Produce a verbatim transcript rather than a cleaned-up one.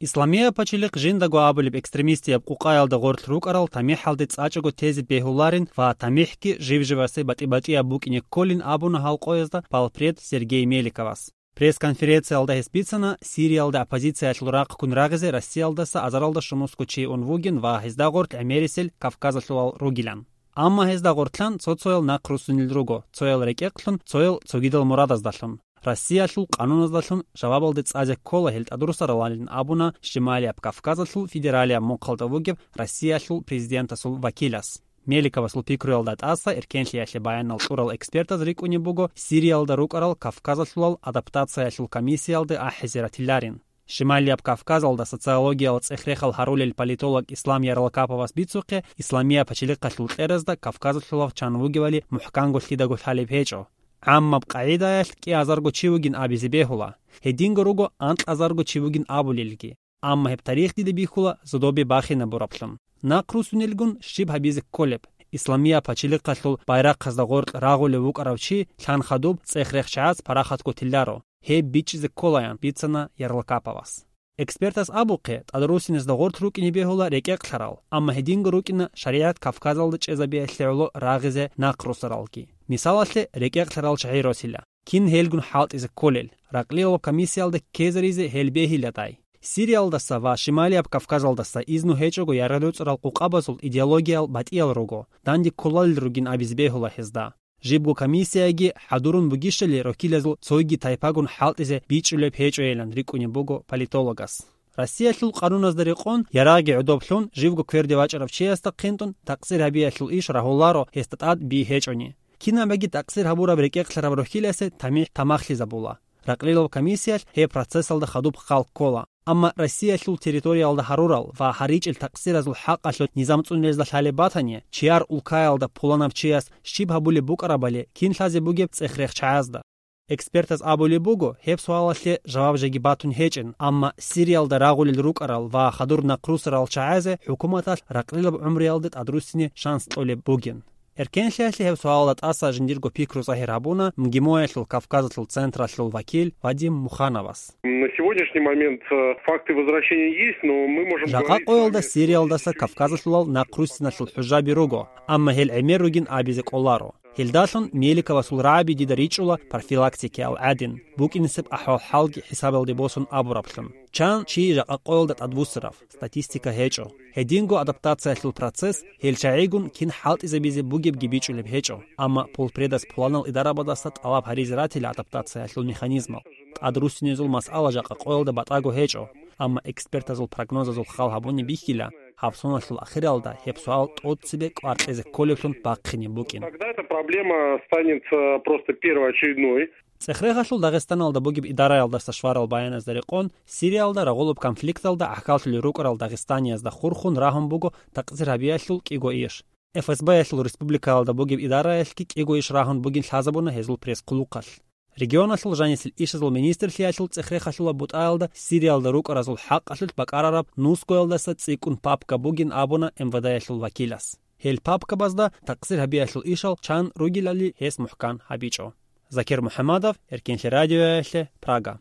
Исламияб пачалихъ жиндаго абулеб экстремистияб къукъаялда гъорлъ рукӀарал тамихӀалде цӀачӀого тезе бегьуларин ва тамихӀги жив-живасе батӀи-батӀияб букӀине кколин абуна гьал къоязда полпред Сергей Меликовас. Пресс-конференциялда гьес бицана, Сириялда оппозициялъул рахъ ккун рагъизе Россиялдаса азаралда щумусго чи ун вугин ва гьезда гъорлъ гӀемерисел кавказалъулал ругилан. Амма гьезда гъортлъан цо-цоял нахъ руссунел руго, цоял рекӀекълъун, цоял цогидал мурадаздалъун. Россиялъул къануназдалъун жавабалде цӀазе ккола гьел тӀадруссаралалин абуна Шималияб Кавказалъул федералияб мухъалда вугеб Россиялъул президентасул вакилас. Меликовасул пикруялда тӀаса эркенлъиялъе баянал кьурал экспертаз рикӀкӀунеб буго Сириялда рукӀарал кавказалъулал адаптациялъул комиссиялде ахӀизе ратиларин. Шималияб Кавказалда социологиял цӀех-рехал гьарулел политолог Ислам Ярлакаповас бицухъе, Исламияб пачалихъалъул кьеразда кавказалъулав чан вугевали мухӀканго лъидаго лъалеб гьечӀо. ГӀаммаб къагӀидаялъ кӀиазарго чи вугин абизе бегьула, гьединго руго анкьазарго чи вугин абулелги. Амма гьеб тарих дида бихьула зодобе бахинабураблъун. Нахъ руссунелгун щиб гьабизе кколеб? Исламияб пачалихъалъул байрахъазда гъоркь рагъулев вукӀарав чи лъан хадуб цӀех-рехчагӀаз парахатго тиларо, гьеб бичӀчӀизе кколаян бицана Ярлакаповас. Экспертас абухъе, тӀадруссиназда гъорлъ рукӀине бегьула рекӀекълъарал, амма гьединго рукӀина шаригӀат Кавказалда чӀезабиялъе гӀоло рагъизе нахъ руссаралги. Мисалалъе, рекӀекълъарал чагӀи росила. Кин гьелгун хӀалтӀизе кколел, ракълилал комиссиялда ккезаризе гьел бегьиладай. Сириялдаса ва Шималияб Кавказалдаса изну гьечӀого яргъи-руцӀарал къукъабазул идеологиял батӀиял руго, данде кколалел ругин абизе бегьула гьезда. Жибго комиссияги хӀадурун бугищали роккилазул цойги тайпагун хӀалтӀизе бичӀчӀулеб гьечӀойилан рикӀкӀунеб буго политологас. Россиялъул къануназда рекъон, ярагъги гӀодоблъун, живго кверде вачӀарав чиясда хъинтӀун такъсир гьабиялъул иш рагьуларо гьесда тӀад би гьечӀони. Кинабаги такъсир гьабураб рекӀекълъараб рохьиласе тамихӀ тамахлъизабула. Ракълилал комиссиялъ гьеб процессалда хадуб хал ккола. Амма Россиялъул территориялда гьарурал ва гьаричӀел такъсиразул хӀакъалъулъ низам цӀунулезда лъалеб батани, чияр улкаялда пуланаб чияс щиб гьабулеб букӀарабали кин лъазе бугеб цӀех-рехчагӀазда? Экспертаз абулеб буго, гьеб суалалъе жаваб жеги батун гьечӀин, амма Сириялда рагъулел рукӀарал ва хадур нахъ руссарал чагӀазе хӀукуматалъ ракълилаб гӀумруялда тӀадруссине шанс кьолеб бугин. Эркенлъиялъе гьеб суалалда тӀаса жиндирго пикру загьир гьабуна МГИМОялъул Кавказалъул централъул вакил Вадим Мухановас. На сегодняшний момент, э, факты возвращения есть, но мы можем Жакъа говорить с вами, къоялда Сириялдаса Кавказалъулал нахъруссиналъул хӀужаби руго, амма гьел гӀемер ругин абизе кӀоларо. Гьелдалъун Меликовасул рагӀаби дида ричӀула профилактикиял гӀадин, букӀинисеб ахӀвал-хӀалги хӀисабалде босун абураблъун. Чан чи жакъа къоялда тӀадбуссарав, статистика гьечӀо. Гьединго адаптациялъул процесс, гьел чагӀигун кин хӀалтӀизабизе бугебги бичӀчӀулеб гьечӀо, амма полпредас пуланал идарабаздаса тӀалаб гьаризе ратила адаптациялъул механизмал. ТӀадруссинезул масъала жакъа къоялда батӀаго гьечӀо, амма экспертазул прогнозазул хал гьабуни бихьила, гьаб соналъул ахиралда гьеб суал тӀоцебе кӀвар кьезе кколеблъун бахъине букӀин. Тогда эта проблема станет, э, просто первоочередной. ЦӀехрехалъул Дагъистаналда бугеб идараялдаса шварал баяназда рекъон, Сириялда рагъулаб конфликталда гӀахьаллъулел рукӀарал дагъистаниязда хурхун рагьун буго такъсир гьабиялъул кӀиго иш. ФСБ-ялъул республикаялда бугеб идараялъги кӀиго иш рагьун бугин лъазабуна гьезул пресс-хъулухъалъ. Регионалъул жанисел ишазул министрлъиялъул цӀехрехалъула бутӀаялда Сириялда рукӀаразул хӀакъалъулъ бакӀарараб нусгоялдаса цӀикӀкӀун папка бугин абуна МВД-ялъул вакилас. Гьел папкабазда такъсир гьабиялъул ишал чан ругелали гьес мухӀкан гьабичӀо. Закир МухӀаммадов, Эркенлъи радиоялъе, Прага.